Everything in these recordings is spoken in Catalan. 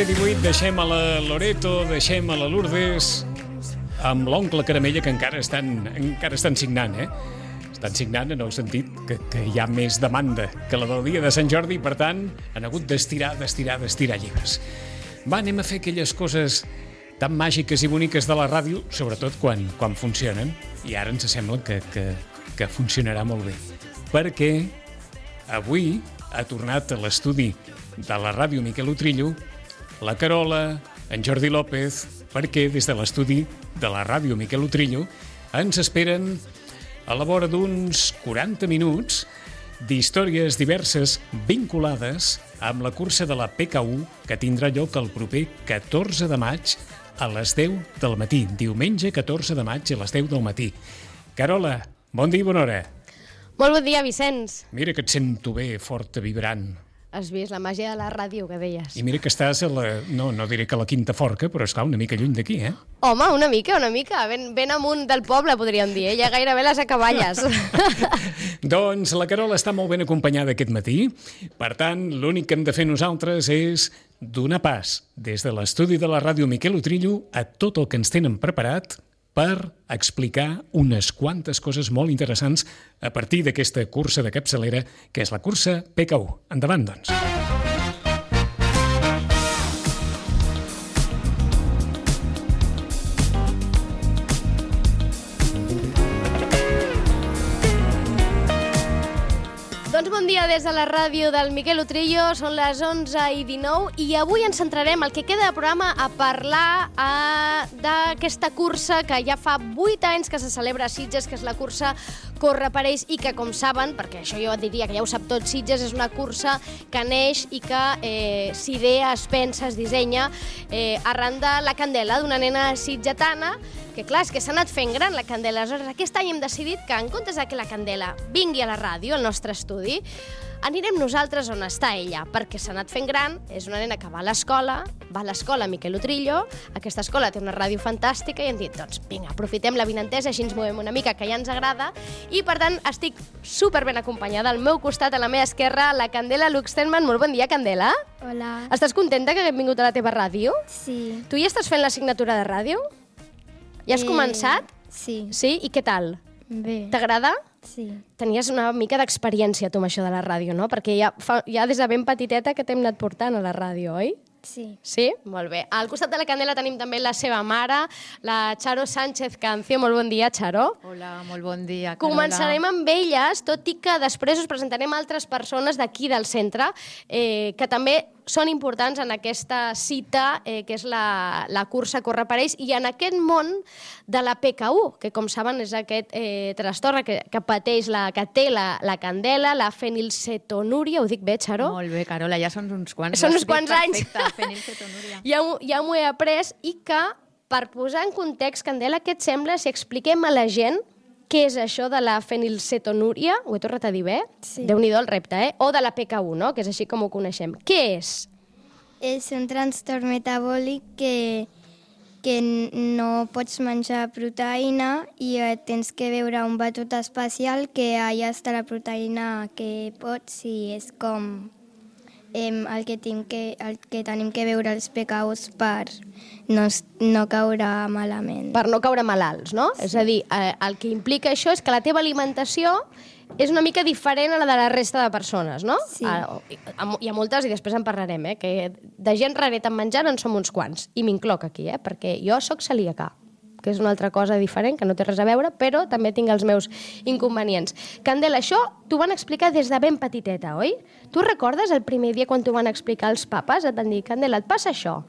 11:18, deixem a la Loreto, deixem a la Lourdes amb l'oncle Caramella, que encara estan signant, Estan signant en el sentit que hi ha més demanda que la del dia de Sant Jordi, per tant, han hagut d'estirar llibres. Va, anem a fer aquelles coses tan màgiques i boniques de la ràdio, sobretot quan funcionen, i ara ens sembla que funcionarà molt bé. Perquè avui ha tornat a l'estudi de la ràdio Miquel Utrillo la Carola, en Jordi López, perquè des de l'estudi de la ràdio Miquel Utrillo ens esperen a la vora d'uns 40 minuts d'històries diverses vinculades amb la cursa de la PK1 que tindrà lloc el proper 14 de maig a les 10 del matí. Diumenge 14 de maig a les 10 del matí. Carola, bon dia i bona hora. Molt bon dia, Vicenç. Mira que et sento bé, forta, vibrant. Has vist la màgia de la ràdio, que deies. I mira que estàs a la... No diré que a la Quinta Forca, però esclar, una mica lluny d'aquí, Home, una mica. Ben amunt del poble, podríem dir. Ja gairebé les acaballes. Doncs la Carola està molt ben acompanyada aquest matí. Per tant, l'únic que hem de fer nosaltres és donar pas des de l'estudi de la ràdio Miquel Utrillo a tot el que ens tenen preparat per explicar unes quantes coses molt interessants a partir d'aquesta cursa de capçalera, que és la cursa PK1. Endavant, doncs. Bon dia des de la ràdio del Miquel Utrillo, són les 11:19 i avui ens centrarem el que queda de programa a parlar d'aquesta cursa que ja fa 8 anys que se celebra a Sitges, que és la cursa Corre per ells, i que, com saben, perquè això jo diria que ja ho sap tot, Sitges és una cursa que neix i que s'idea, es pensa, es dissenya arran de la candela d'una nena sitgetana, que clar, és que s'ha anat fent gran la candela. Aleshores, aquest any hem decidit que en comptes de que la candela vingui a la ràdio, al nostre estudi, anirem nosaltres on està ella, perquè s'ha anat fent gran, és una nena que va a l'escola Miquel Utrillo, aquesta escola té una ràdio fantàstica i hem dit, doncs vinga, aprofitem la vinentesa, així ens movem una mica, que ja ens agrada, i per tant estic superben acompanyada. Al meu costat, a la meva esquerra, la Candela Luxtenman. Molt bon dia, Candela. Hola. Estàs contenta que haguem vingut a la teva ràdio? Sí. Tu ja estàs fent l'assignatura de ràdio? Ja has començat? Sí. Sí? I què tal? Bé. T'agrada? Sí. Tenies una mica d'experiència, tu, amb això de la ràdio, no? Perquè ja des de ben petiteta que t'hem anat portant a la ràdio, oi? Sí. Sí? Molt bé. Al costat de la Candela tenim també la seva mare, la Charo Sánchez Cancio. Molt bon dia, Charo. Hola, molt bon dia, Carola. Començarem amb elles, tot i que després us presentarem altres persones d'aquí del centre que també són importants en aquesta cita, que és la cursa Corre per ells, i en aquest món de la PK1, que com saben és aquest trastorn que pateix, que té la Candela, la fenilcetonúria. Ho dic bé, Charo? Molt bé, Carola, ja són uns quants. Són uns quants anys. Perfecte, fenilcetonúria. Ja m'ho he après, i que, per posar en context, Candela, què et sembla si expliquem a la gent què és això de la fenilcetonúria? Ho he tornat a dir bé? Sí. Déu-n'hi-do el repte, O de la PK1, no? Que és així com ho coneixem. Què és? És un trastorn metabòlic que no pots menjar proteïna i tens que beure un batut especial que allà està la proteïna que pots, i és com el que tenim que beure els PK1s per no caure malament. Per no caure malalts, no? Sí. És a dir, el que implica això és que la teva alimentació és una mica diferent a la de la resta de persones, no? Sí. Hi ha moltes, i després en parlarem, que de gent raret en menjar en som uns quants, i m'incloc aquí, perquè jo sóc celíaca, que és una altra cosa diferent, que no té res a veure, però també tinc els meus inconvenients. Candela, això t'ho van explicar des de ben petiteta, oi? Tu recordes el primer dia quan t'ho van explicar els papes? Et van dir, Candela, et passa això,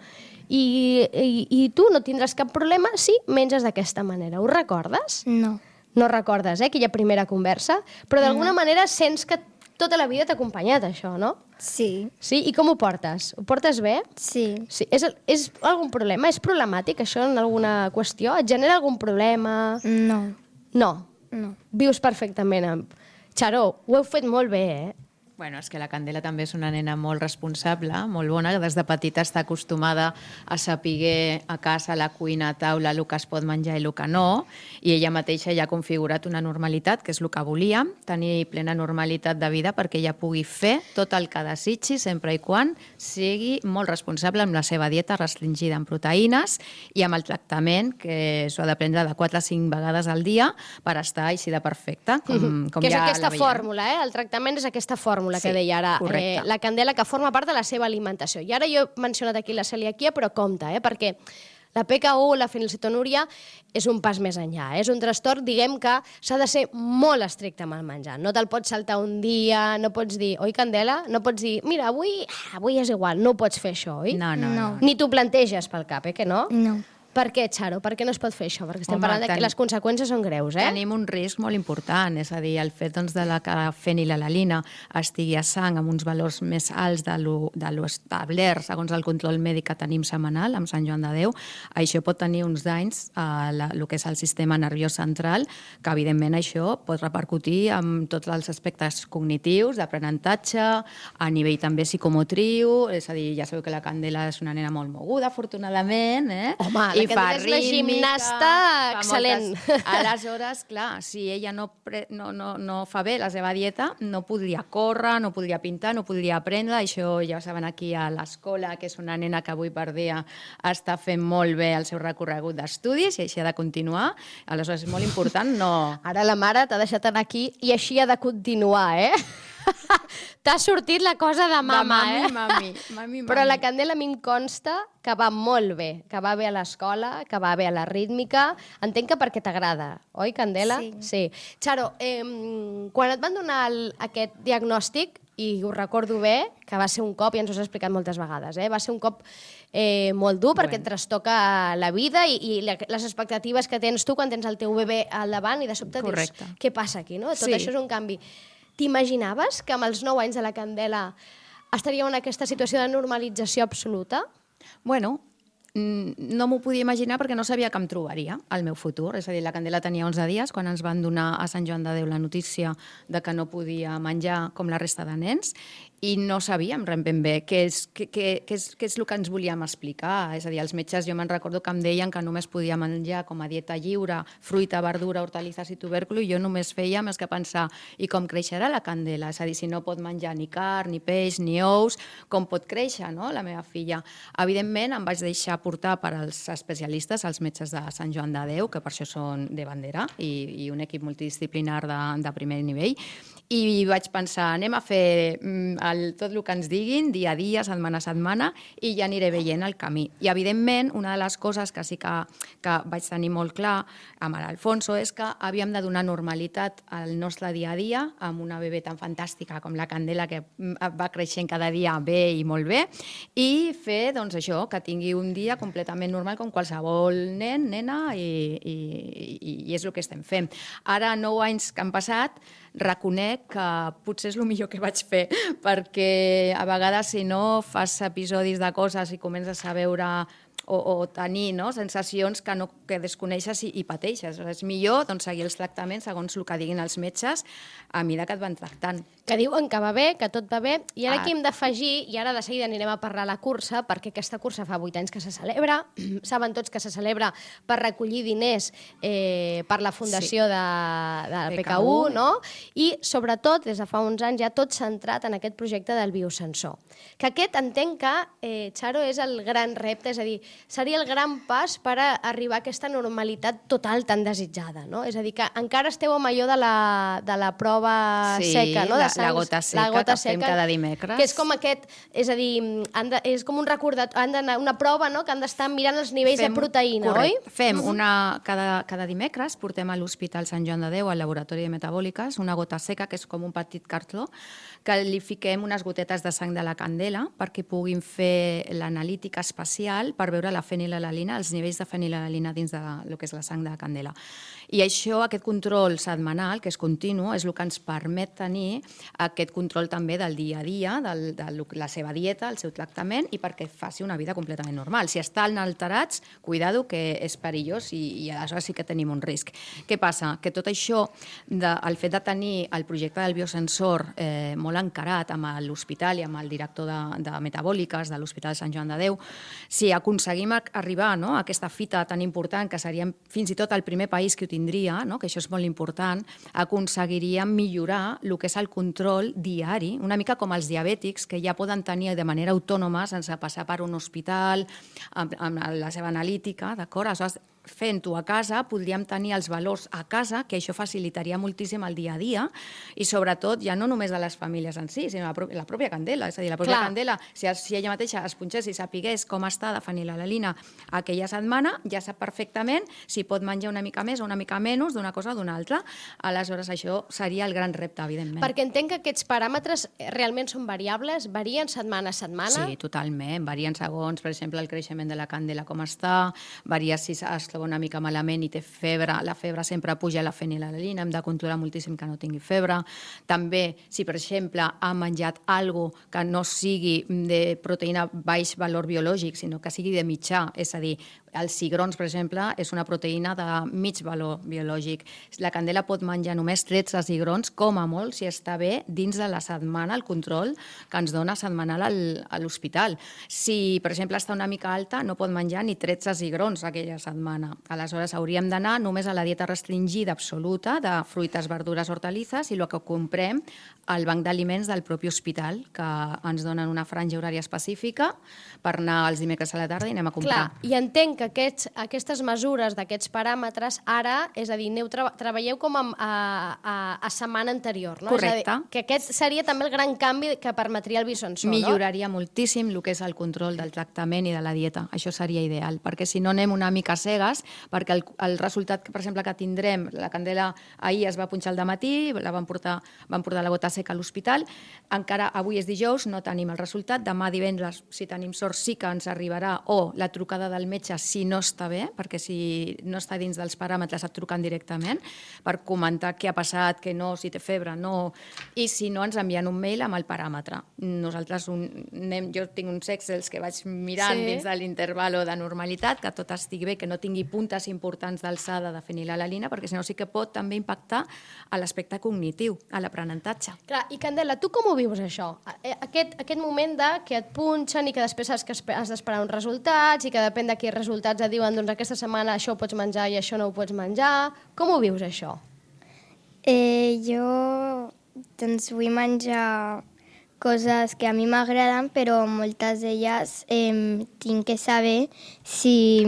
i tu no tindràs cap problema si menges d'aquesta manera. Ho recordes? No. No recordes, aquella primera conversa? Però d'alguna manera sents que tota la vida t'ha acompanyat això, no? Sí. Sí? I com ho portes? Ho portes bé? Sí. Sí. És algun problema? És problemàtic això en alguna qüestió? Et genera algun problema? No. No. No. Vius perfectament amb... Charo, ho heu fet molt bé, Bueno, és que la Candela també és una nena molt responsable, molt bona, que des de petita està acostumada a saber a casa, a la cuina, a taula, el que es pot menjar i el que no, i ella mateixa ja ha configurat una normalitat, que és el que volia, tenir plena normalitat de vida perquè ella pugui fer tot el que desitgi, sempre i quan sigui molt responsable amb la seva dieta restringida en proteïnes i amb el tractament, que s'ho ha de prendre de 4 a 5 vegades al dia per estar així de perfecta, com que és ja aquesta la veiem. fórmula, el tractament és aquesta fórmula que deia ara la Candela, que forma part de la seva alimentació. I ara jo he mencionat aquí la celiaquia, però compte, perquè la PKU, la fenilcetonúria, és un pas més enllà. És un trastorn, diguem que s'ha de ser molt estricte amb el menjar. No te'l pots saltar un dia, no pots dir, oi, Candela? No pots dir, mira, avui és igual, no ho pots fer això, oi? No. Ni t'ho planteges pel cap, que no? No. Per què, Xaro? Per què no es pot fer això? Perquè estem Home, parlant que les conseqüències són greus, Tenim un risc molt important, és a dir, el fet de que la fenilalalina estigui a sang amb uns valors més alts de lo establert segons el control mèdic que tenim setmanal amb Sant Joan de Déu, això pot tenir uns danys a el que és el sistema nerviós central, que evidentment això pot repercutir en tots els aspectes cognitius, d'aprenentatge, a nivell també psicomotriu, és a dir, ja sabeu que la Candela és una nena molt moguda, afortunadament, Home, i fa és una gimnasta excel·lent. Aleshores, clar, si ella no fa bé la seva dieta, no podria córrer, no podria pintar, no podria aprendre. Això ja ho saben aquí a l'escola, que és una nena que avui per dia està fent molt bé el seu recorregut d'estudis i així ha de continuar. Aleshores, és molt important no... Ara la mare t'ha deixat anar aquí i així ha de continuar, T'ha sortit la cosa de mama, Mami. Però la Candela a mi em consta que va molt bé, que va bé a l'escola, que va bé a la rítmica. Entenc que perquè t'agrada, oi, Candela? Sí. Xaro, quan et van donar aquest diagnòstic, i ho recordo bé, que va ser un cop, i ens ho has explicat moltes vegades, va ser un cop molt dur perquè et trastoca la vida i les expectatives que tens tu quan tens el teu bebè al davant i de sobte dius, què passa aquí, no? Tot això és un canvi. T'imaginaves que amb els 9 anys de la Candela estaríeu en aquesta situació de normalització absoluta? Bueno, no m'ho podia imaginar perquè no sabia que em trobaria al meu futur. És a dir, la Candela tenia 11 dies quan ens van donar a Sant Joan de Déu la notícia de que no podia menjar com la resta de nens i no sabíem ben bé què és el que ens volíem explicar. És a dir, els metges jo me'n recordo que em deien que només podia menjar com a dieta lliure, fruita, verdura, hortalisses i tubèrcul, i jo només feia més que pensar i com creixerà la Candela? És a dir, si no pot menjar ni carn, ni peix, ni ous, com pot créixer, no?, la meva filla. Evidentment, em vaig deixar portar per als especialistes, els metges de Sant Joan de Déu, que per això són de bandera, i un equip multidisciplinar de primer nivell, i vaig pensar, anem a fer tot el que ens diguin, dia a dia, setmana a setmana, i ja aniré veient el camí. I, evidentment, una de les coses que sí que vaig tenir molt clar amb l'Alfonso és que havíem de donar normalitat al nostre dia a dia amb una bebè tan fantàstica com la Candela, que va creixent cada dia bé i molt bé, i fer, doncs, això, que tingui un dia completament normal com qualsevol nen, nena, i és el que estem fent. Ara, 9 anys que han passat, reconec que potser és el millor que vaig fer, perquè a vegades si no fas episodis de coses i comences a veure o tenir sensacions que desconeixes i pateixes. És millor seguir els tractaments segons el que diguin els metges a mesura que et van tractant. Que diuen que va bé, que tot va bé, i ara aquí hem d'afegir, i ara de seguida anirem a parlar la cursa, perquè aquesta cursa fa 8 anys que se celebra, saben tots que se celebra per recollir diners per la fundació de PKU, no? I sobretot, des de fa uns anys, ja tot centrat en aquest projecte del biosensor. Que aquest entenc que, Xaro, és el gran repte, és a dir, seria el gran pas per arribar a aquesta normalitat total tan desitjada, no? És a dir, que encara esteu amb allò de la prova seca, no? La gota seca que fem cada dimecres. Que és com aquest, és a dir, és com un recordatori, han d'anar una prova, no?, que han d'estar mirant els nivells de proteïna, oi? Fem cada dimecres, portem a l'Hospital Sant Joan de Déu, al laboratori de metabòliques, una gota seca, que és com un petit cartó, que li fiquem unes gotetes de sang de la Candela perquè puguin fer l'analítica espacial per veure veure la fenilalalina, els nivells de fenilalalina dins del que és la sang de la candela. I això, aquest control setmanal, que és continu, és el que ens permet tenir aquest control també del dia a dia, de la seva dieta, el seu tractament, i perquè faci una vida completament normal. Si estan alterats, cuidado, que és perillós i aleshores sí que tenim un risc. Què passa? Que tot això, el fet de tenir el projecte del biosensor molt encarat amb l'hospital i amb el director de metabòliques de l'Hospital de Sant Joan de Déu, si aconseguim arribar a aquesta fita tan important, que seríem fins i tot el primer país que ho tindria, que això és molt important, aconseguiríem millorar el que és el control diari, una mica com els diabètics, que ja poden tenir de manera autònoma sense passar per un hospital, amb la seva analítica, d'acord? Aleshores, fent-ho a casa, podríem tenir els valors a casa, que això facilitaria moltíssim el dia a dia, i sobretot, ja no només de les famílies en si, sinó la pròpia Candela. És a dir, la pròpia Candela, si ella mateixa es punxés i sapigués com està de fenilalalina aquella setmana, ja sap perfectament si pot menjar una mica més o una mica menys d'una cosa o d'una altra. Aleshores, això seria el gran repte, evidentment. Perquè entenc que aquests paràmetres realment són variables, varien setmana a setmana? Sí, totalment. Varien segons, per exemple, el creixement de la Candela com està, varia si es troba una mica malament i té febre, la febre sempre puja la fenilalalina, hem de controlar moltíssim que no tingui febre. També, si per exemple ha menjat alguna cosa que no sigui de proteïna baix valor biològic, sinó que sigui de mitjà, és a dir, els cigrons, per exemple, és una proteïna de mig valor biològic. La Candela pot menjar només 13 cigrons, com a molt, si està bé, dins de la setmana, el control que ens dona setmanal a l'hospital. Si, per exemple, està una mica alta, no pot menjar ni 13 cigrons aquella setmana. Aleshores, hauríem d'anar només a la dieta restringida absoluta de fruites, verdures, hortalisses i el que comprem al banc d'aliments del propi hospital, que ens donen una franja horària específica per anar els dimecres a la tarda i anem a comprar. Clar, i entenc que aquestes mesures d'aquests paràmetres ara, és a dir, treballeu com a setmana anterior, no? Correcte. És a dir, que aquest seria també el gran canvi que permetria el biosensor, no? Milloraria moltíssim el que és el control del tractament i de la dieta. Això seria ideal, perquè si no anem una mica cegues, perquè el resultat, per exemple, que tindrem, la Candela ahir es va punxar al dematí, van portar la gota seca a l'hospital, encara avui és dijous, no tenim el resultat, demà divendres, si tenim sort, sí que ens arribarà, o la trucada del metge si no està bé, perquè si no està dins dels paràmetres et truquen directament per comentar què ha passat, què no, si té febre, no, i si no ens envien un mail amb el paràmetre. Nosaltres jo tinc uns Excels que vaig mirant dins de l'interval de normalitat, que tot estigui bé, que no tingui puntes importants d'alçada de fenilalalina, perquè si no sí que pot també impactar a l'aspecte cognitiu, a l'aprenentatge. Clar, i Candela, tu com ho vius això? Aquest moment que et punxen i que després has d'esperar uns resultats i que depèn de quins resultats et diuen doncs aquesta setmana això ho pots menjar i això no ho pots menjar. Com ho vius, això? Jo doncs vull menjar coses que a mi m'agraden, però moltes d'elles tinc que saber si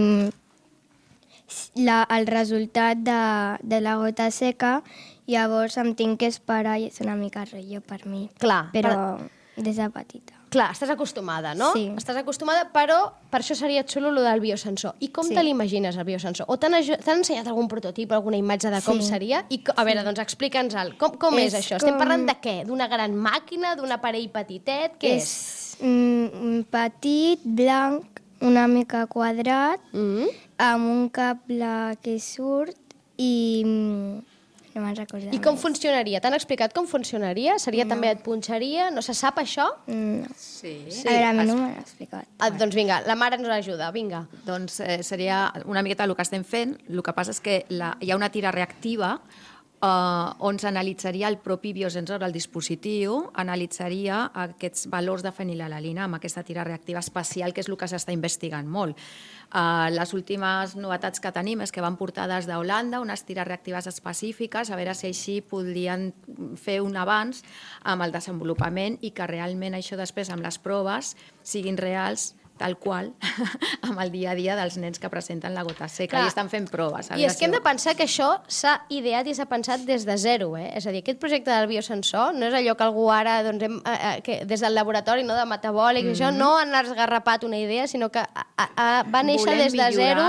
el resultat de la gota seca, llavors em tinc que esperar i és una mica rotllo per mi. Clar. Però des de petita. Clar, estàs acostumada, no? Sí. Estàs acostumada, però per això seria xulo el del biosensor. I com te l'imagines, el biosensor? O t'han ensenyat algun prototip, alguna imatge de com seria? I, a veure, doncs explica'ns-el. Com és això? Estem parlant de què? D'una gran màquina? D'un aparell petitet? Què és? Petit, blanc, una mica quadrat, amb un cable que surt i... no me'n recordo. I com funcionaria? T'han explicat com funcionaria? Seria també et punxaria? No se sap això? No. Sí. A veure, a mi no m'han explicat. Doncs vinga, la mare ens ajuda, vinga. Doncs seria una miqueta el que estem fent. El que passa és que hi ha una tira reactiva on s'analitzaria el propi biosensor, el dispositiu, analitzaria aquests valors de fenilalalina amb aquesta tira reactiva especial, que és el que s'està investigant molt. Les últimes novetats que tenim és que van portar des d'Holanda unes tires reactives específiques, a veure si així podrien fer un avanç amb el desenvolupament i que realment això després amb les proves siguin reals tal qual, amb el dia a dia dels nens que presenten la gota seca. Clar. I estan fent proves. I és que hem de pensar que això s'ha ideat i s'ha pensat des de zero. És a dir, aquest projecte del biosensor no és allò que algú ara, doncs, des del laboratori de metabòlic, això no han esgarrapat una idea, sinó que va néixer des de zero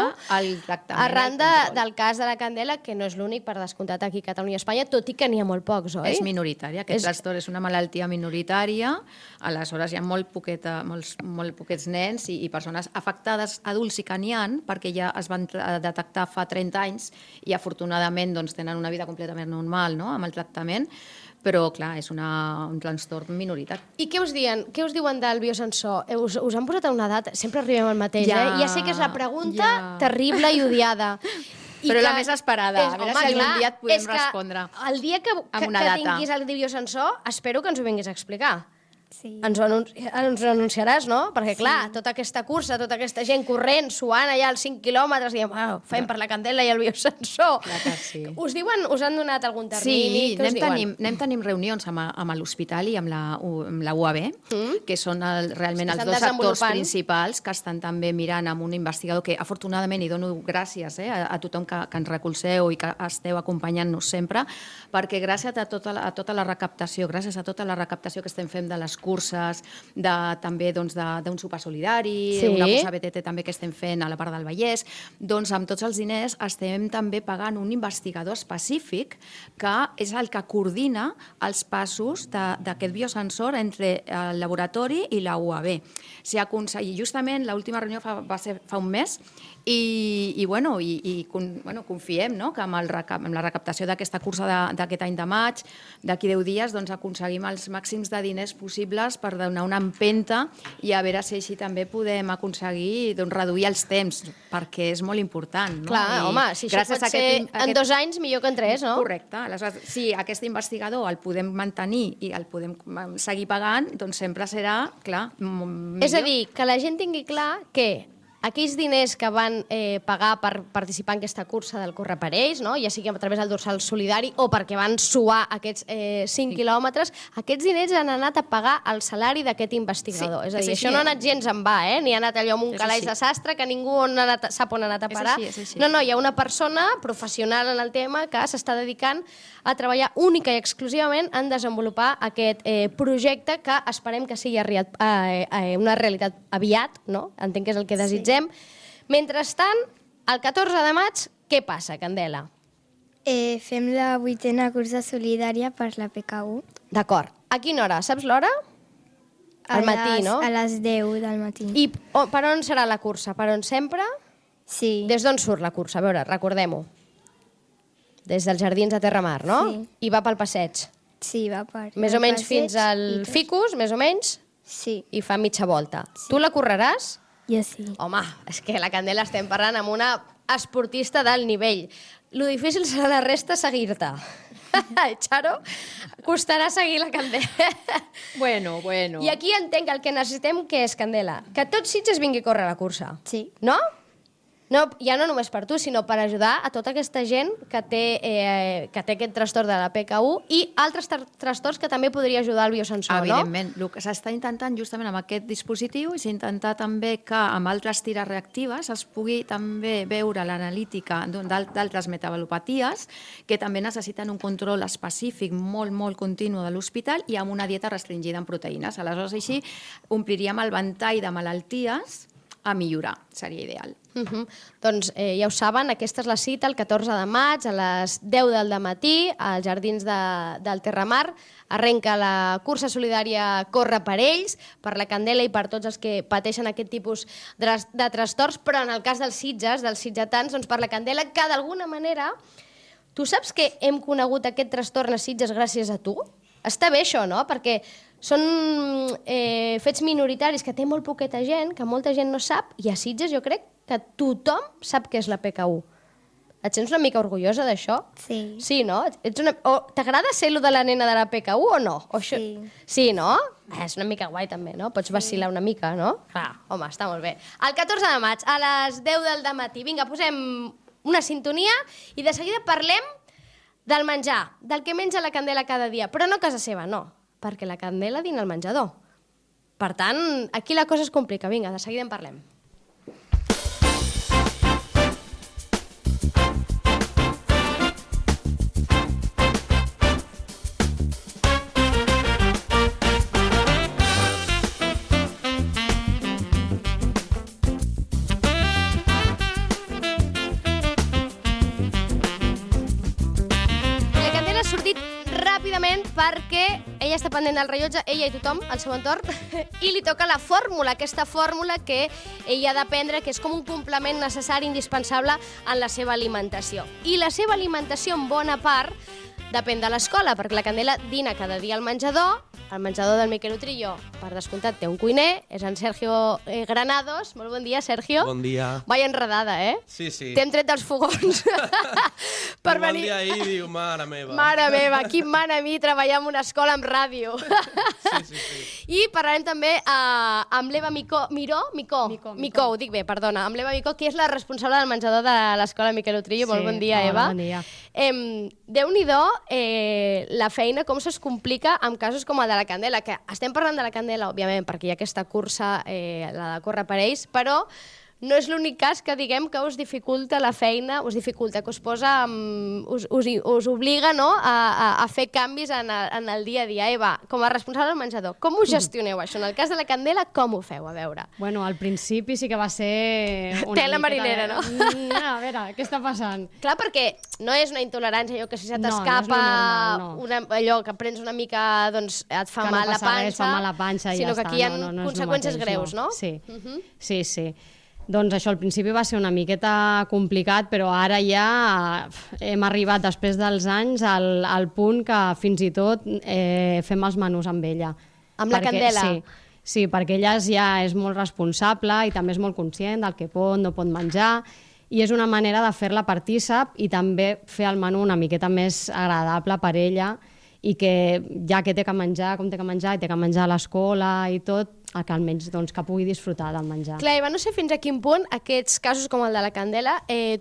arran del cas de la Candela, que no és l'únic, per descomptat, aquí a Catalunya i Espanya, tot i que n'hi ha molt pocs, oi? És minoritària. Aquest trastorn és una malaltia minoritària, aleshores hi ha molt poquets nens nens i persones afectades, adults i que n'hi ha, perquè ja es van detectar fa 30 anys i afortunadament doncs, tenen una vida completament normal, no?, amb el tractament, però, clar, és un trastorn minoritari. I què us diuen del biosensor? Us han posat a una data? Sempre arribem al mateix, Ja, Ja sé que és la pregunta terrible i odiada. Però la més esperada. A veure si algun dia et podem respondre El dia que tinguis el biosensor, espero que ens ho vinguis a explicar. Sí. Ens ho anunciaràs, no? Perquè, clar, tota aquesta cursa, tota aquesta gent corrent, suant allà als 5 quilòmetres, diem, fem per la Candela i el biosensor. Clar que sí. Us han donat algun termini? Sí, anem tenint reunions amb l'hospital i amb la UAB, que són realment els dos actors principals que estan també mirant amb un investigador que, afortunadament, i dono gràcies a tothom que ens recolzeu i que esteu acompanyant-nos sempre, perquè gràcies a tota la recaptació, gràcies a tota la recaptació que estem fent de les curses, també d'un sopar solidari, una cursa BTT també que estem fent a la part del Vallès, doncs amb tots els diners estem també pagant un investigador específic que és el que coordina els passos d'aquest biosensor entre el laboratori i la UAB. Justament l'última reunió va ser fa un mes i confiem que amb la recaptació d'aquesta cursa d'aquest any de maig, d'aquí 10 dies, doncs aconseguim els màxims de diners possibles per donar una empenta i a veure si així també podem aconseguir reduir els temps, perquè és molt important. Clar, home, si això pot ser en 2 anys, millor que en 3, no? Correcte. Aleshores, si aquest investigador el podem mantenir i el podem seguir pagant, doncs sempre serà, clar, millor. És a dir, que la gent tingui clar que aquells diners que van pagar per participar en aquesta cursa del Corre per ells, no? Ja sigui a través del dorsal solidari o perquè van suar aquests 5 quilòmetres, aquests diners han anat a pagar el salari d'aquest investigador. És a dir, això no ha anat gens en va, ni ha anat allò amb un calaix de sastre que ningú sap on ha anat a parar. No, hi ha una persona professional en el tema que s'està dedicant a treballar única i exclusivament en desenvolupar aquest projecte que esperem que sigui una realitat aviat, no? Entenc que és el que desitgem. Mentrestant, el 14 de maig, què passa, Candela? Fem la 8a cursa solidària per la PKU. D'acord. A quina hora? Saps l'hora? Al matí, no? A les 10 del matí. I per on serà la cursa? Per on sempre? Sí. Des d'on surt la cursa? A veure, recordem-ho. Des dels Jardins de Terramar, no? Sí. I va pel passeig. Sí, va per... Més o menys fins al Ficus, més o menys? Sí. I fa mitja volta. Sí. Tu la correràs? Jo sí. Home, és que la Candela estem parlant amb una esportista d'alt nivell. Lo difícil serà la resta seguir-te. Charo, costarà seguir la Candela. Bueno. I aquí entenc el que necessitem, que és, Candela, que tot Sitges vingui a córrer la cursa. Sí. No? No, ja no només per tu, sinó per ajudar a tota aquesta gent que té aquest trastorn de la PKU i altres trastorns que també podria ajudar el biosensor, Evidentment. El que s'està intentant justament amb aquest dispositiu és intentar també que amb altres tires reactives es pugui també veure l'analítica d'altres metabalopaties que també necessiten un control específic molt, molt continu de l'hospital i amb una dieta restringida en proteïnes. Aleshores, així ompliríem el ventall de malalties a millorar, seria ideal. Doncs ja ho saben, aquesta és la cita el 14 de maig a les 10 del matí als Jardins del Terramar. Arrenca la cursa solidària Corre per ells, per la Candela i per tots els que pateixen aquest tipus de trastorns, però en el cas dels sitgetans, doncs per la Candela, que d'alguna manera... Tu saps que hem conegut aquest trastorn a Sitges gràcies a tu? Està bé això, no? Perquè són fets minoritaris que té molt poqueta gent, que molta gent no sap, i a Sitges jo crec que tothom sap què és la PKU. Et sents una mica orgullosa d'això? Sí. Sí, no? T'agrada ser lo de la nena de la PKU o no? Sí. Sí, no? És una mica guai també, no? Pots vacilar una mica, no? Clar, home, està molt bé. El 14 de maig, a les 10 del matí. Vinga, posem una sintonia i de seguida parlem del menjar, del que menja la Candela cada dia, però no a casa seva, no, perquè la Candela dina al menjador. Per tant, aquí la cosa es complica. Vinga, de seguida en parlem. ràpidament perquè ella està pendent del rellotge, ella i tothom, al seu entorn, i li toca la fórmula, aquesta fórmula que ella ha d'aprendre, que és com un complement necessari, indispensable en la seva alimentació. I la seva alimentació, en bona part, depèn de l'escola, perquè la Candela dina cada dia al menjador. El menjador del Miquel Utrillo, per descomptat, té un cuiner, és en Sergio Granados. Molt bon dia, Sergio. Bon dia. Vaya enredada, eh? Sí, sí. T'hem tret dels fogons. Per venir... Bon dia ahir, diu, mare meva. Mare meva, qui em mana a mi treballar en una escola amb ràdio. Sí. I parlarem també amb l'Eva Micó, ho dic bé, perdona, amb l'Eva Micó, que és la responsable del menjador de l'escola Miquel Utrillo. Molt bon dia, Eva. Bon dia. Déu-n'hi-do la feina, com se'ls complica en casos com el de la Candela, que estem parlant de la Candela, òbviament, perquè hi ha aquesta cursa, la de córrer per ells, però no és l'únic cas que diguem que us dificulta la feina, us dificulta, que us posa, us obliga, no?, a fer canvis en el dia a dia. Eva, com a responsable del menjador, com ho gestioneu, això? En el cas de la Candela, com ho feu? A veure. Bueno, al principi sí que va ser una tela marinera, no? A veure, què està passant? Clar, perquè no és una intolerància, allò que si se t'escapa, allò que prens una mica, doncs et fa mal la panxa, et fa mal la panxa i ja està. Sinó que aquí hi ha conseqüències greus, no? Sí. Doncs això, al principi va ser una miqueta complicat, però ara ja hem arribat, després dels anys, al punt que fins i tot fem els menús amb ella. Amb la Candela? Sí, perquè ella ja és molt responsable i també és molt conscient del que pot, no pot menjar, i és una manera de fer-la partícip i també fer el menú una miqueta més agradable per ella, i que ja que té que menjar, com té que menjar, i té que menjar a l'escola i tot, que almenys que pugui disfrutar del menjar. Clar, Eva, no sé fins a quin punt aquests casos com el de la Candela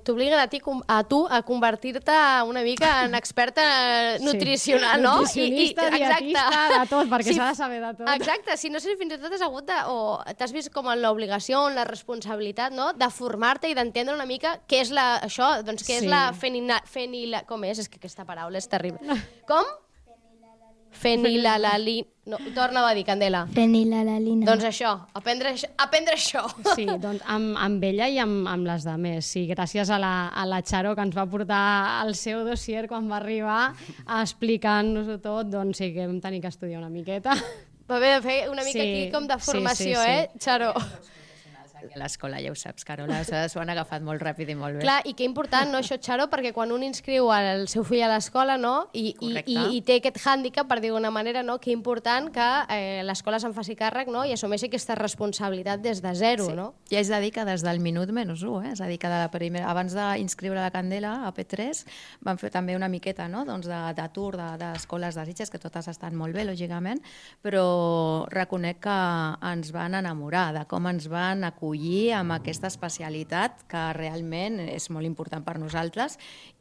t'obliguen a tu a convertir-te una mica en experta nutricional, no? Nutricionista, dietista, de tot, perquè s'ha de saber de tot. Exacte, si no sé si fins i tot has hagut o t'has vist com en l'obligació, en la responsabilitat, no?, de formar-te i d'entendre una mica què és això, doncs què és la com és que aquesta paraula és terrible. Com? Fenilalalina. No, torna-ho a dir, Candela. Fenilalalina. Doncs això, aprendre això. Sí, doncs amb ella i amb les demés. Sí, gràcies a la Charo, que ens va portar el seu dossier quan va arribar explicant-nos-ho tot, doncs sí que vam tenir que estudiar una miqueta. Va haver de fer una mica aquí com de formació, Charo? A l'escola, ja ho saps, Carola, s'ho han agafat molt ràpid i molt bé. Clar, i que important, no, això, Charo, perquè quan un inscriu el seu fill a l'escola, no?, i té aquest hàndicap, per dir-ho d'una manera, no?, que important que l'escola se'n faci càrrec, no?, i assumeixi aquesta responsabilitat des de zero, no? Ja és de dir que des del minut menys 1, és a dir, que abans d'inscriure la Candela a P3 van fer també una miqueta, no?, doncs de tour d'escoles de Sitges, que totes estan molt bé, lògicament, però reconec que ens van enamorar de com ens van acollir amb aquesta especialitat que realment és molt important per nosaltres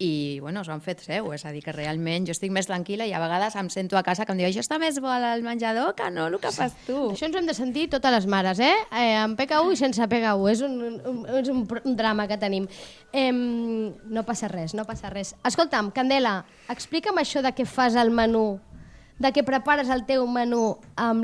i, bueno, s'ho han fet seu, és a dir, que realment jo estic més tranquil·la i a vegades em sento a casa que em diu això està més bo al menjador que no el que fas tu. Això ens ho hem de sentir totes les mares, amb PKU i sense PKU, és un drama que tenim. No passa res. Escolta'm, Candela, explica'm això de què fas el menú, de què prepares el teu menú amb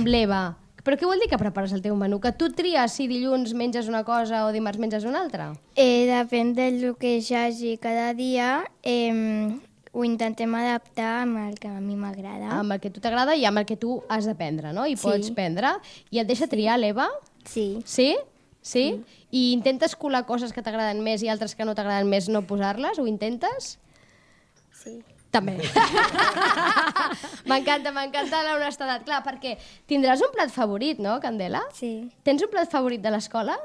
l'Eva. Però què vol dir que prepares el teu menú? Que tu tries si dilluns menges una cosa o dimarts menges una altra? Depèn del que hi hagi cada dia, ho intentem adaptar amb el que a mi m'agrada. Amb el que a tu t'agrada i amb el que tu has de prendre, no? I pots prendre. I et deixa triar, l'Eva? Sí. Sí? I intentes colar coses que t'agraden més i altres que no t'agraden més, no posar-les? Ho intentes? Sí. També. M'encanta l'honestedat. Clar, perquè tindràs un plat favorit, no, Candela? Sí. Tens un plat favorit de l'escola?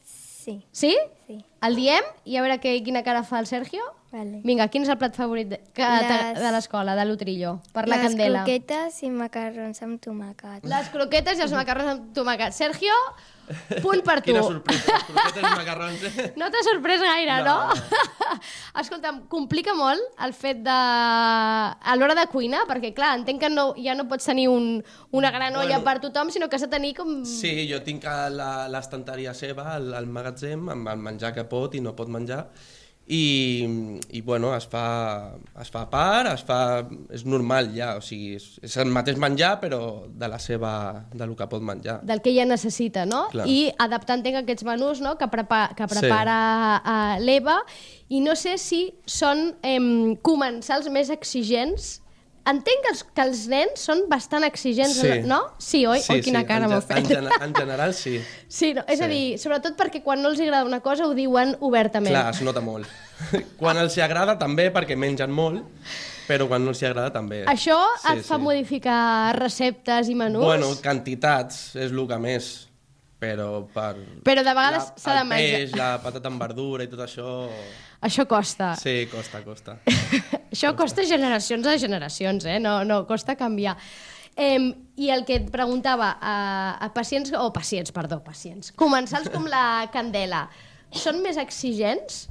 Sí. Sí? Sí. El diem i a veure quina cara fa el Sergio? Vale. Vinga, quin és el plat favorit de l'escola, de l'Utrillo, per la Candela? Les croquetes i macarrons amb tomàquet. Les croquetes i els macarrons amb tomàquet. Sergio, punt per tu. Quina sorpresa, les croquetes i macarrons. No t'ha sorprès gaire, no? Escolta'm, complica molt el fet de... a l'hora de cuinar, perquè clar, entenc que ja no pots tenir una gran olla per tothom, sinó que has de tenir com... Sí, jo tinc l'estanteria seva, al magatzem, amb el menjar que pot i no pot menjar, i bueno, es fa a part, és normal ja, o sigui, és el mateix menjar, però del que pot menjar. Del que ella necessita, no? Clar. I adaptant aquests menús, no?, que prepara l'Eva, i no sé si són comensals més exigents. Entenc que els nens són bastant exigents, no? Sí, oi? Sí, quina cara m'ho fet. En general, sí. Sí, no? És a dir, sobretot perquè quan no els agrada una cosa ho diuen obertament. Clar, es nota molt. Quan els agrada també, perquè mengen molt, però quan no els agrada també. Això et fa modificar receptes i menús? Bueno, quantitats és el que més, però Però de vegades s'ha de menjar. El peix, la patata amb verdura i tot això... Això costa. Sí, costa. Això costa generacions a generacions, no costa canviar. I el que et preguntava, pacients, comensals com la Candela, són més exigents?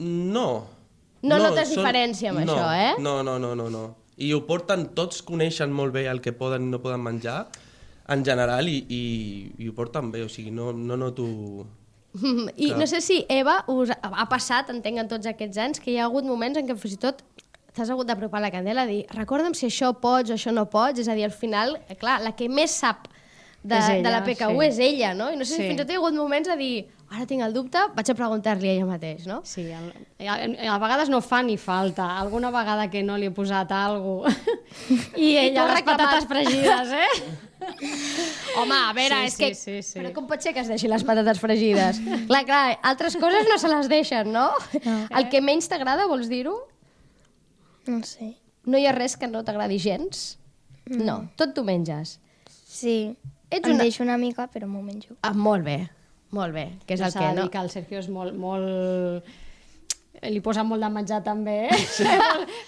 No. No notes diferència amb això, eh? No. I ho porten, tots coneixen molt bé el que poden i no poden menjar, en general, i ho porten bé, o sigui, no noto... I no sé si, Eva, us ha passat, entenc, en tots aquests anys, que hi ha hagut moments en què fins i tot t'has hagut d'apropar la Candela a dir recorda'm si això pots o això no pots, és a dir, al final, clar, la que més sap de la PKU és ella, no? I no sé si fins i tot hi ha hagut moments a dir ara tinc el dubte, vaig a preguntar-li a ella mateix, no? Sí, a vegades no fa ni falta. Alguna vegada que no li he posat alguna cosa i ella les patates fregides, Home, a veure, és que... Però com pot ser que es deixi les patates fregides? Clar, altres coses no se les deixen, no? El que menys t'agrada, vols dir-ho? No sé. No hi ha res que no t'agradi gens? No, tot t'ho menges. Sí, deixo una mica, però m'ho menjo. Molt bé, que és el que, no? Que el Sergio és molt... Li posa molt de menjar també,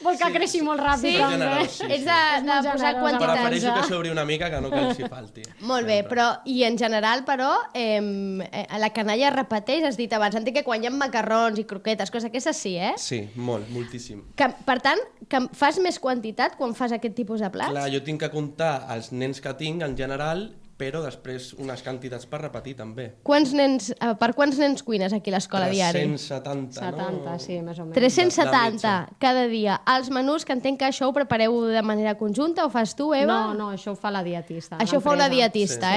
vol que creixi molt ràpid també. És de posar quantitats. Prefereixo que s'obri una mica que no que els hi falti. Molt bé, però i en general, però, la canalla repeteix, has dit abans, entenc que quan hi ha macarrons i croquetes, coses aquestes sí, eh? Sí, moltíssim. Per tant, que fas més quantitat quan fas aquest tipus de plats? Clar, jo tinc que comptar els nens que tinc en general, però després unes quantitats per repetir també. Per quants nens cuines aquí a l'escola diari? 370, no? 70, sí, més o menys. 370 cada dia. Els menús, que entenc que això ho prepareu de manera conjunta, o fas tu, Eva? No, això ho fa la dietista. Això ho fa una dietista,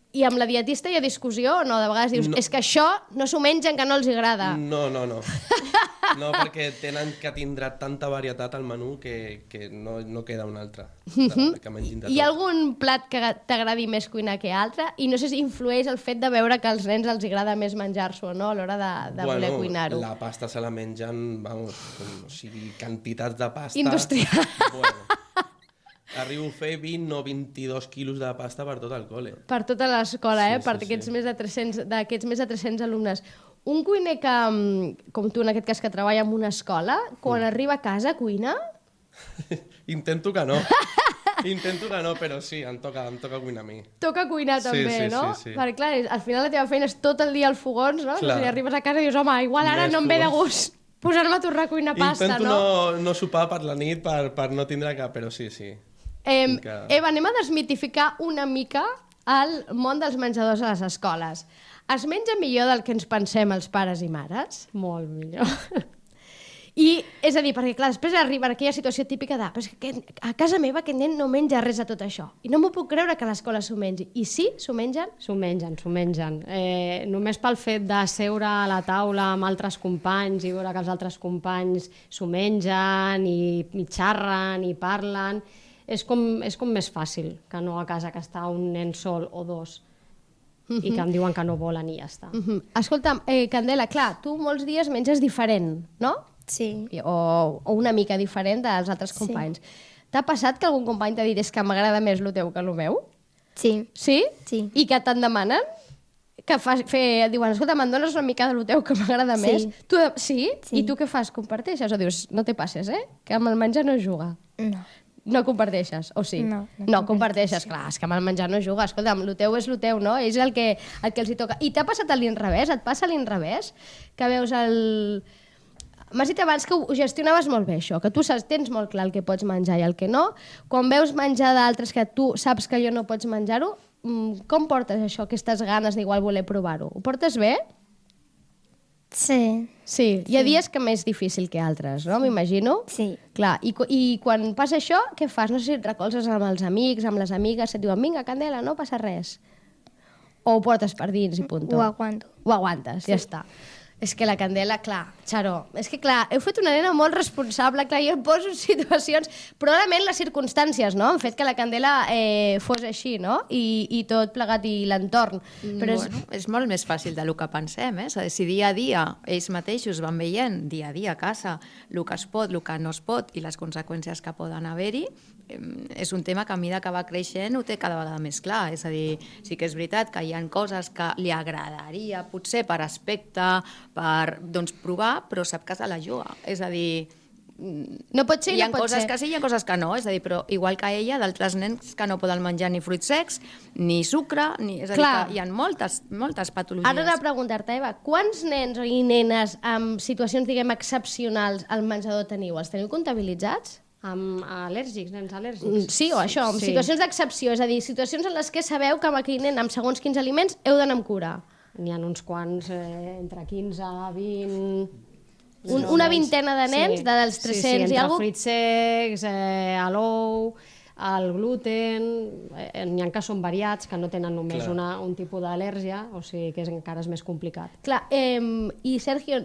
I amb la dietista hi ha discussió o no? De vegades dius, és que això no s'ho mengen, que no els agrada. No. No, perquè tenen que tindrà tanta varietat al menú que no queda un altre. Que mengin de tot. Hi ha algun plat que t'agradi més cuinar que altre? I no sé si influeix el fet de veure que als nens els agrada més menjar-s'ho o no a l'hora de voler cuinar-ho. La pasta se la mengen, vamos, o sigui, quantitats de pasta... Industrial. Bueno, arribo a fer 20 o 22 quilos de pasta per tot el col·le. Per tota l'escola, Sí, per aquests més de 300 alumnes. Un cuiner que, com tu en aquest cas, que treballa en una escola, quan arriba a casa cuina? Intento que no, però sí, em toca cuinar a mi. Toca cuinar també, no? Sí. Perquè clar, al final la teva feina és tot el dia als fogons, no? Clar. Si arribes a casa i dius, home, igual ara no em ve de gust posar-me a tornar a cuinar pasta, no? Intento no sopar per la nit per no tindre cap, però sí. Eva, anem a desmitificar una mica el món dels menjadors a les escoles. Es menja millor del que ens pensem els pares i mares? Molt millor. I, és a dir, perquè clar, després arriba aquella situació típica de però és que a casa meva aquest nen no menja res de tot això. I no m'ho puc creure que a l'escola s'ho mengi. I sí, s'ho mengen? S'ho mengen. Només pel fet de seure a la taula amb altres companys i veure que els altres companys s'ho mengen i xerren i parlen, és com més fàcil que no a casa que està un nen sol o dos i que em diuen que no volen i ja està. Escolta'm, Candela, clar, tu molts dies menges diferent, no? Sí. O una mica diferent dels altres companys. T'ha passat que algun company t'ha dit és que m'agrada més el teu que el meu? Sí. Sí? Sí. I que te'n demanen? Diuen, escolta, me'n dones una mica del teu que m'agrada més? Sí? I tu què fas? Comparteixes? O dius, no te passes, que amb el menjar no es juga? No. No comparteixes, o sí? No comparteixes, clar, és que amb el menjar no juga. Escolta'm, el teu és el teu, no? És el que els hi toca. I t'ha passat a l'inrevés? Et passa a l'inrevés? Que veus el... M'has dit abans que ho gestionaves molt bé, això, que tu tens molt clar el que pots menjar i el que no. Quan veus menjar d'altres que tu saps que allò no pots menjar-ho, com portes això, aquestes ganes d'igual voler provar-ho? Ho portes bé? Sí. Sí, hi ha dies que més difícil que altres, no? M'imagino. Sí. Clar, i quan passa això, què fas? No sé si et recolzes amb els amics, amb les amigues, et diuen, vinga, Candela, no passa res. O ho portes per dins i punto. Ho aguanto. Ho aguantes, ja està. És que la Candela, clar, Xaro, és que clar, heu fet una nena molt responsable, clar, jo em poso en situacions, probablement les circumstàncies, no?, han fet que la Candela fos així, no?, i tot plegat i l'entorn. Però és molt més fàcil del que pensem, És a dir, si dia a dia ells mateixos van veient, dia a dia a casa, el que es pot, el que no es pot i les conseqüències que poden haver-hi, és un tema que a mesura que va creixent ho té cada vegada més clar. És a dir, sí que és veritat que hi ha coses que li agradaria, potser per aspecte, per provar, però sap que se la juga. És a dir, no pot ser, hi ha no pot coses ser. que sí, hi ha coses que no. És a dir, però igual que ella, d'altres nens que no poden menjar ni fruits secs, ni sucre, és a dir, que hi ha moltes patologies. Ara he de preguntar-te, Eva, quants nens i nenes amb situacions, diguem, excepcionals al menjador teniu? Els teniu comptabilitzats? Amb al·lèrgics, nens al·lèrgics. Sí, o això, amb situacions d'excepció, és a dir, situacions en les que sabeu que amb aquell nen, amb segons quins aliments, heu d'anar amb cura. N'hi ha uns quants, entre 15, 20... Una vintena de nens, dels 300 sí, i entre alguna cosa? fruits secs, l'ou, el gluten... N'hi ha que són variats, que no tenen només un tipus d'al·lèrgia, o sigui que encara és més complicat. Clar, i Sergio,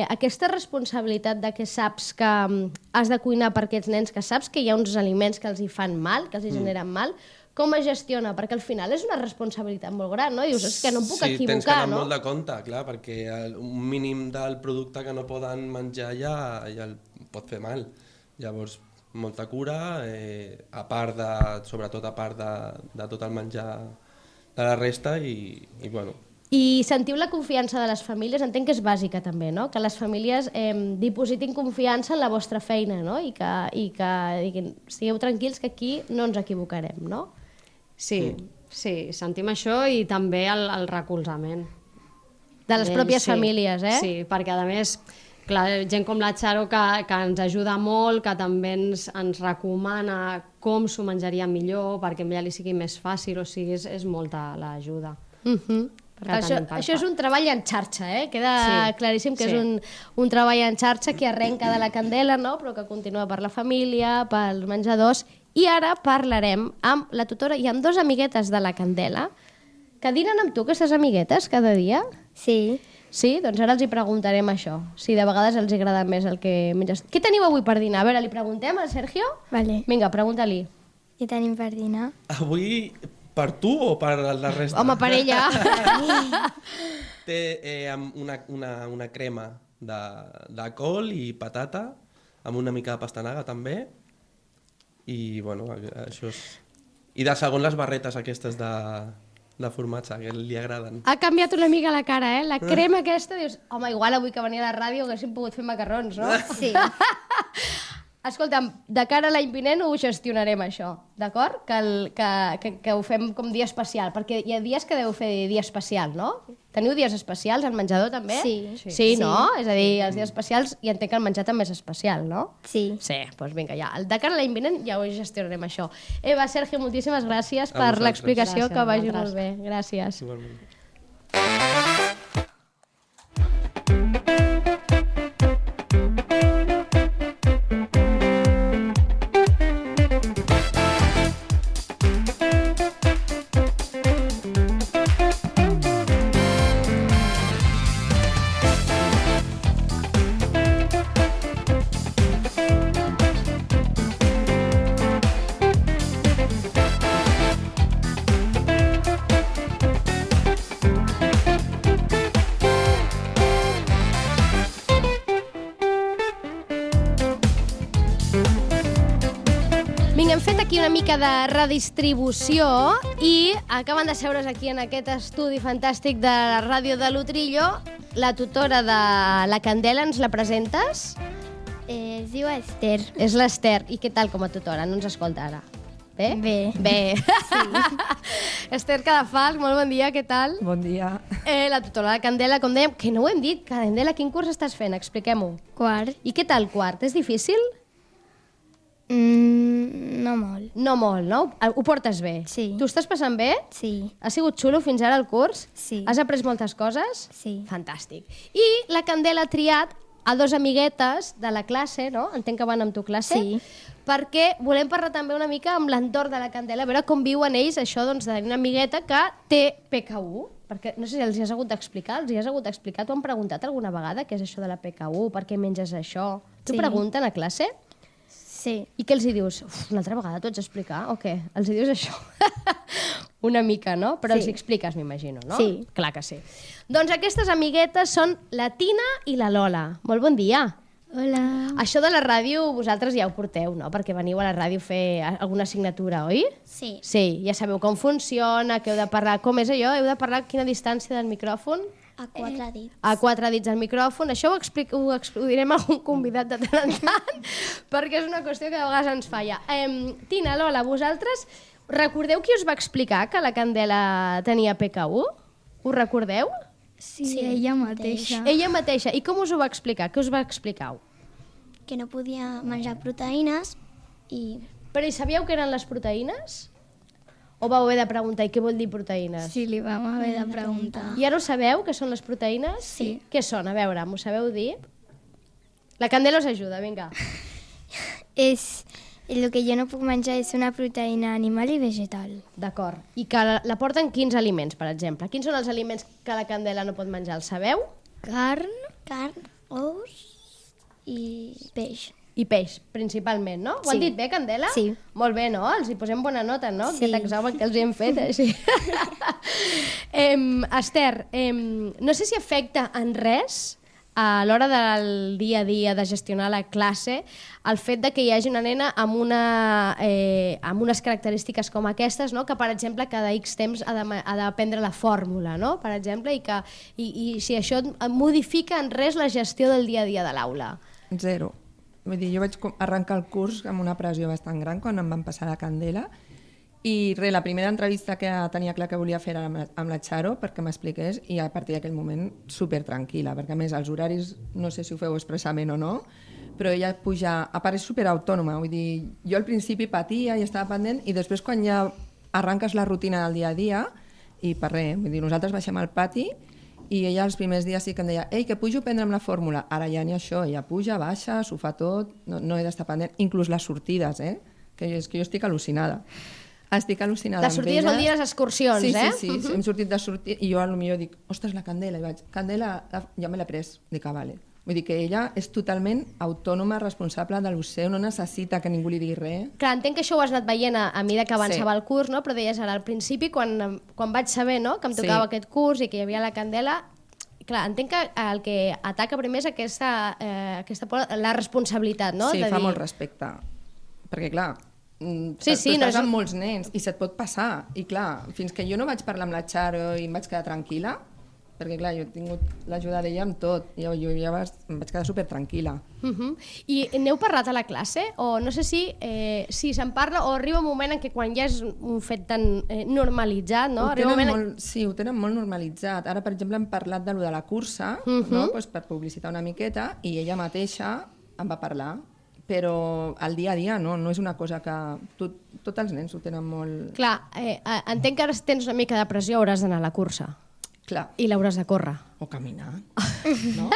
aquesta responsabilitat de que saps que has de cuinar per aquests nens, que saps que hi ha uns aliments que els hi fan mal, que els hi generen mal, com es gestiona? Perquè al final és una responsabilitat molt gran, no? Dius, és que no em puc equivocar, no? Sí, tens que anar molt de compte, clar, perquè un mínim del producte que no poden menjar ja el pot fer mal. Llavors, molta cura, sobretot a part de tot el menjar de la resta i bueno. I sentiu la confiança de les famílies, entenc que és bàsica també, no? Que les famílies dipositin confiança en la vostra feina, no? I que diguin, estigueu tranquils que aquí no ens equivocarem, no? Sí, sentim això i també el recolzament. De les pròpies famílies, eh? Sí, perquè a més, clar, gent com la Xaro que ens ajuda molt, que també ens recomana com s'ho menjaria millor perquè a ella li sigui més fàcil, o sigui, és molta l'ajuda. Això és un treball en xarxa, queda claríssim que és un treball en xarxa que arrenca de la Candela, no? Però que continua per la família, pels menjadors. I ara parlarem amb la tutora i amb 2 amiguetes de la Candela que dinen amb tu, aquestes amiguetes, cada dia. Sí. Sí? Doncs ara els hi preguntarem això, si de vegades els agrada més el que menges. Què teniu avui per dinar? A veure, li preguntem al Sergio? Vale. Vinga, pregunta-li. Què tenim per dinar? Avui, per tu o per la resta? Home, per ella. Té una crema de col i patata, amb una mica de pastanaga també, i bueno, això és... I de segon les barretes aquestes de formatge, que li agraden. Ha canviat una mica la cara, La crema aquesta, dius, home, igual avui que venia a la ràdio haguéssim pogut fer macarrons, no? Sí. Escolta'm, de cara a l'any vinent ho gestionarem, això, d'acord? Que ho fem com dia especial, perquè hi ha dies que deu fer dia especial, no? Teniu dies especials al menjador, també? Sí, no? És a dir, els dies especials, i entenc que el menjar també és especial, no? Sí. Sí, doncs vinga, ja. De cara a l'any vinent ja ho gestionarem, això. Eva, Sergio, moltíssimes gràcies per vosaltres. l'explicació, Gràcies, que vagi vosaltres. molt bé. Gràcies. Igualment. Vinga, hem fet aquí una mica de redistribució i acaben de seure's aquí en aquest estudi fantàstic de la ràdio de l'Utrillo. La tutora de la Candela, ens la presentes? Es diu Esther. És l'Esther. I què tal com a tutora? No ens escolta ara. Bé? Bé. Bé. Sí. Esther Cadafalch, molt bon dia, què tal? Bon dia. La tutora de la Candela, com dèiem, que no ho hem dit. Candela, quin curs estàs fent? Expliquem-ho. Quart. I què tal quart? És difícil? No molt. No molt, no? Ho portes bé? Sí. Tu estàs passant bé? Sí. Ha sigut xulo fins ara el curs? Sí. Has après moltes coses? Sí. Fantàstic. I la Candela ha triat a dos amiguetes de la classe, no? Entenc que van amb tu classe? Sí. Perquè volem parlar també una mica amb l'entorn de la Candela, a veure com viuen ells això doncs, de tenir una amigueta que té PKU, perquè no sé si els hi has hagut d'explicar, t'ho han preguntat alguna vegada què és això de la PKU, per què menges això? T'ho Sí. pregunten a classe? Sí. I què els hi dius? Una altra vegada t'ho haig d'explicar o què? Els hi dius això? Una mica, no? Però Sí. els hi expliques, m'imagino, no? Sí. Clar que sí. Doncs aquestes amiguetes són la Tina i la Lola. Molt bon dia. Hola. Això de la ràdio vosaltres ja ho porteu, no? Perquè veniu a la ràdio a fer alguna assignatura, oi? Sí. Sí, ja sabeu com funciona, que heu de parlar... Com és allò? Heu de parlar a quina distància del micròfon? A 4 dits. A 4 dits del micròfon. Això ho direm a algun convidat de tant en tant, perquè és una qüestió que de vegades ens falla. Tina, Lola, vosaltres recordeu qui us va explicar que la Candela tenia PKU? Ho recordeu? Sí, ella mateixa. Ella mateixa. I com us ho va explicar? Què us va explicar? Que no podia menjar proteïnes i Però hi sabíeu què eren les proteïnes? O vau haver de preguntar, i què vol dir proteïnes? Sí, li vam haver de preguntar. I ara ho sabeu, què són les proteïnes? Sí. Què són? A veure, m'ho sabeu dir? La Candela us ajuda, vinga. El que jo no puc menjar és una proteïna animal i vegetal. D'acord. I que la porten quins aliments, per exemple? Quins són els aliments que la Candela no pot menjar? El sabeu? Carn. carn, ous i peix. I peix, principalment, no? Ho Sí. han dit bé, Candela? Sí. Molt bé, no? Els hi posem bona nota, no? Sí. Aquest examen que els hem fet, així. Esther, no sé si afecta en res a l'hora del dia a dia de gestionar la classe el fet de que hi hagi una nena amb unes característiques com aquestes, no? Que, per exemple, cada X temps ha d'aprendre la fórmula, no? Per exemple, i si això modifica en res la gestió del dia a dia de l'aula. Zero. Vull dir, jo vaig arrencar el curs amb una pressió bastant gran quan em van passar la Candela i la primera entrevista que tenia clar que volia fer era amb la Charo perquè m'expliqués i a partir d'aquell moment super tranquil·la, perquè a més els horaris no sé si ho feu expressament o no, però ella puja, a part és super autònoma, vull dir, jo al principi patia i estava pendent i després quan ja arranques la rutina del dia a dia i per res, vull dir, nosaltres baixem al pati i ella els primers dies sí que em deia ei, que pujo a prendre'm la fórmula, ara ja ni això, ella puja, baixa, s'ho fa tot, no he d'estar pendent, inclús les sortides, que jo estic al·lucinada. Estic al·lucinada Les sortides vol dir les excursions, sí, eh? Sí, hem sortit de sortir i jo potser dic, ostres, la Candela, i vaig, Candela, ja me l'he pres, dic, vale. Vull dir que ella és totalment autònoma, responsable de lo seu, no necessita que ningú li digui res. Clar, entenc que això ho has anat veient a mesura que avançava Sí. el curs, no? Però deies ara, al principi, quan vaig saber, no?, que em tocava Sí. aquest curs i que hi havia la Candela, clar, entenc que el que ataca primer és aquesta la responsabilitat, no? Sí, de fa dir... molt respecte. Perquè, clar, Sí, tu sí, no estàs és- amb molts nens i se't pot passar. I, clar, fins que jo no vaig parlar amb la Charo i em vaig quedar tranquil·la, perquè, clar, jo he tingut l'ajuda d'ella amb tot, jo ja em vaig quedar super tranquil·la. I n'heu parlat a la classe? O no sé si se'n parla o arriba un moment en què quan ja és un fet tan normalitzat, no? Arriba un moment... Sí, ho tenen molt normalitzat. Ara, per exemple, hem parlat de lo de la cursa, no? Pues per publicitar una miqueta, i ella mateixa em va parlar. Però al dia a dia no és una cosa que... Tots els nens ho tenen molt... Clar, entenc que ara tens una mica de pressió, hauràs d'anar a la cursa. Clar. I l'hauràs de córrer. O caminar. No?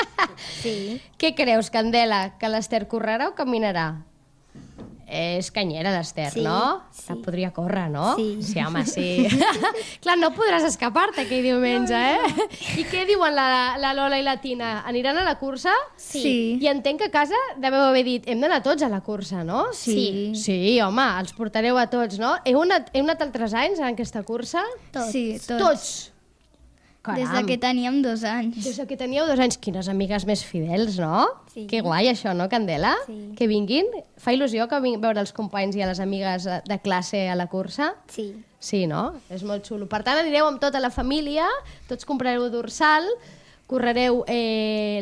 Sí. Què creus, Candela? Que l'Ester correrà o caminarà? És canyera, l'Ester, Sí, no? sí. Podria córrer, no? Sí. Sí, home, sí. Clar, no podràs escapar-te aquell diumenge, I què diuen la Lola i la Tina? Aniran a la cursa? Sí. I entenc que a casa deveu haver dit hem d'anar tots a la cursa, no? Sí. Sí, home, els portareu a tots, no? Heu anat altres anys en aquesta cursa? Tots. Sí, tots. Tots? Des Caram. de que teníem 2 anys. Des que teníeu 2 anys, quines amigues més fidels, no? Sí. Que guai això, no, Candela? Sí. Que vinguin. Fa il·lusió que vinguin veure els companys i a les amigues de classe a la cursa? Sí. Sí, no? És molt xulo. Per tant, anireu amb tota la família, tots comprareu dorsal, correreu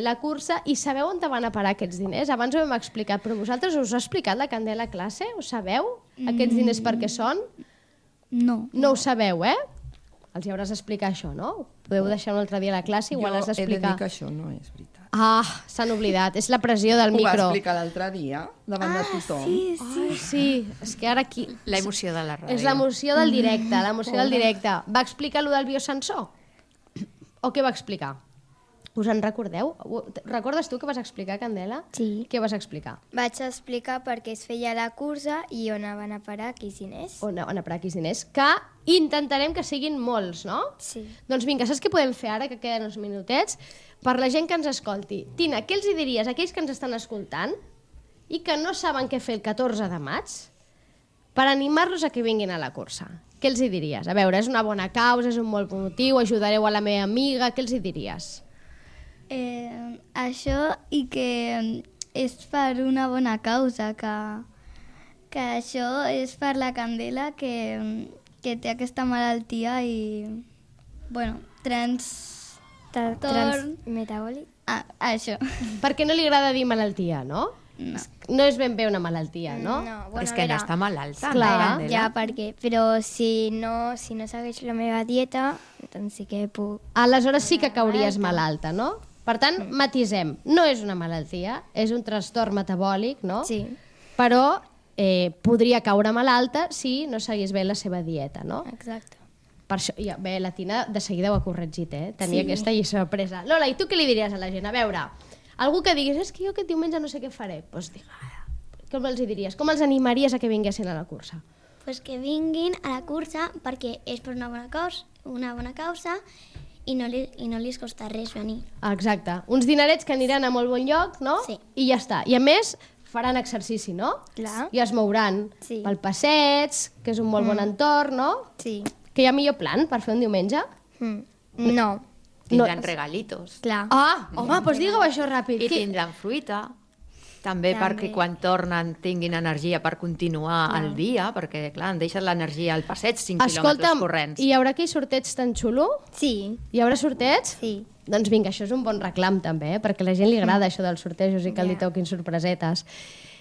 la cursa i sabeu on te van a parar aquests diners? Abans ho hem explicat, però vosaltres us ha explicat la Candela a classe? Ho sabeu? Aquests diners per què són? No. No ho sabeu, Els hi hauràs d'explicar això, no? Podeu deixar un altre dia a la classe, igual has Jo he de d'explicar. dir que això no és veritat. S'han oblidat. És la pressió del Ho va micro. explicar l'altre dia, davant de tothom. Sí, és que ara aquí... La emoció de la ràdio. És l'emoció del directe, l'emoció del directe. Va explicar allò del biosensor? O què va explicar? Us en recordeu? Recordes tu què vas explicar, Candela? Sí. Què vas explicar? Vaig explicar per què es feia la cursa i on van a parar Quisiners. On a parar Quisiners? Que intentarem que siguin molts, no? Sí. Doncs vinga, saps què podem fer ara, que queden uns minutets? Per la gent que ens escolti. Tina, què els hi diries a aquells que ens estan escoltant i que no saben què fer el 14 de maig per animar-los a que vinguin a la cursa? Què els hi diries? A veure, és una bona causa, és un molt bon motiu, ajudareu a la meva amiga, què els hi diries? Això i que és per una bona causa, que això és per la Candela que té aquesta malaltia i, bueno, Metabòlic. això. Perquè no li agrada dir malaltia, no? No. No és ben bé una malaltia, no? No, És que no està malalta, Clar. no, Candela? Ja, perquè, però si no segueix la meva dieta, doncs sí que puc... Aleshores sí que cauries malalta, no? Per tant, matisem. No és una malaltia, és un trastorn metabòlic, no? Sí. Però podria caure malalta si no seguís bé la seva dieta, no? Exacte. Per això, ja, bé, la Tina de seguida ho ha corregit, Tenia aquesta lliçó presa. Lola, i tu què li diries a la gent? A veure, algú que diguis, és que jo aquest diumenge no sé què faré, doncs com els hi diries? Com els animaries a que vinguessin a la cursa? Pues que vinguin a la cursa perquè és per una bona causa i no li costa res venir. Exacte. Uns dinerets que aniran a molt bon lloc, no? Sí. I ja està. I a més, faran exercici, no? Clar. I es mouran Sí. pel passeig, que és un molt bon entorn, no? Sí. Que hi ha millor plan per fer un diumenge? No. Tindran regalitos. Clar. Home, doncs digueu això ràpid. I tindran fruita. També perquè quan tornen tinguin energia per continuar el dia, perquè, clar, han deixat l'energia al passeig 5 quilòmetres corrents. hi haurà aquell sorteig tan xulo? Sí. Hi haurà sorteig? Sí. Doncs vinga, això és un bon reclam també, perquè a la gent li agrada això dels sortejos i que li toquin sorpresetes.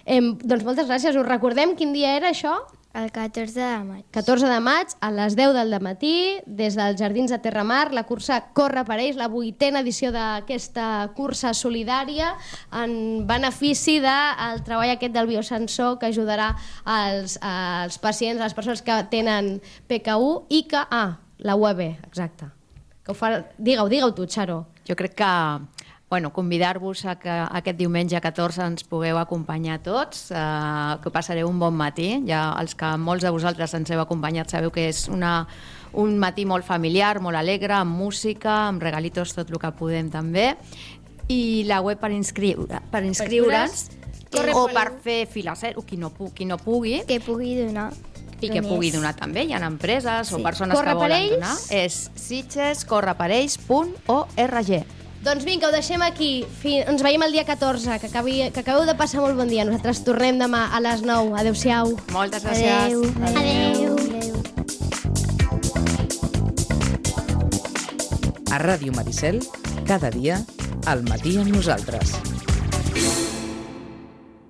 Doncs moltes gràcies. Us recordem quin dia era això? El 14 de maig. 14 de maig, a les 10 del matí, des dels Jardins de Terramar, la cursa Corre per ells, la 8a edició d'aquesta cursa solidària en benefici del treball aquest del biosensor que ajudarà als pacients, a les persones que tenen PKU i que... la UAB, exacte. Que ho fa... Digue-ho tu, Xaro. Jo crec que convidar-vos a que aquest diumenge 14 ens pugueu acompanyar tots, que passareu un bon matí. Ja els que molts de vosaltres ens heu acompanyat sabeu que és un matí molt familiar, molt alegre, amb música, amb regalitos, tot el que podem també. I la web per inscriure's o per fer fila zero, qui no pugui. Que pugui donar. I que pugui donar també. Hi ha empreses o persones que volen donar. És sitgescorreperells.org. Doncs vinga, ho deixem aquí. Ens veiem el dia 14, que acabeu de passar molt bon dia. Nosaltres tornem demà a les 9. Adéu-siau. Moltes gràcies. Adéu. A Ràdio Maricel, cada dia, al matí amb nosaltres.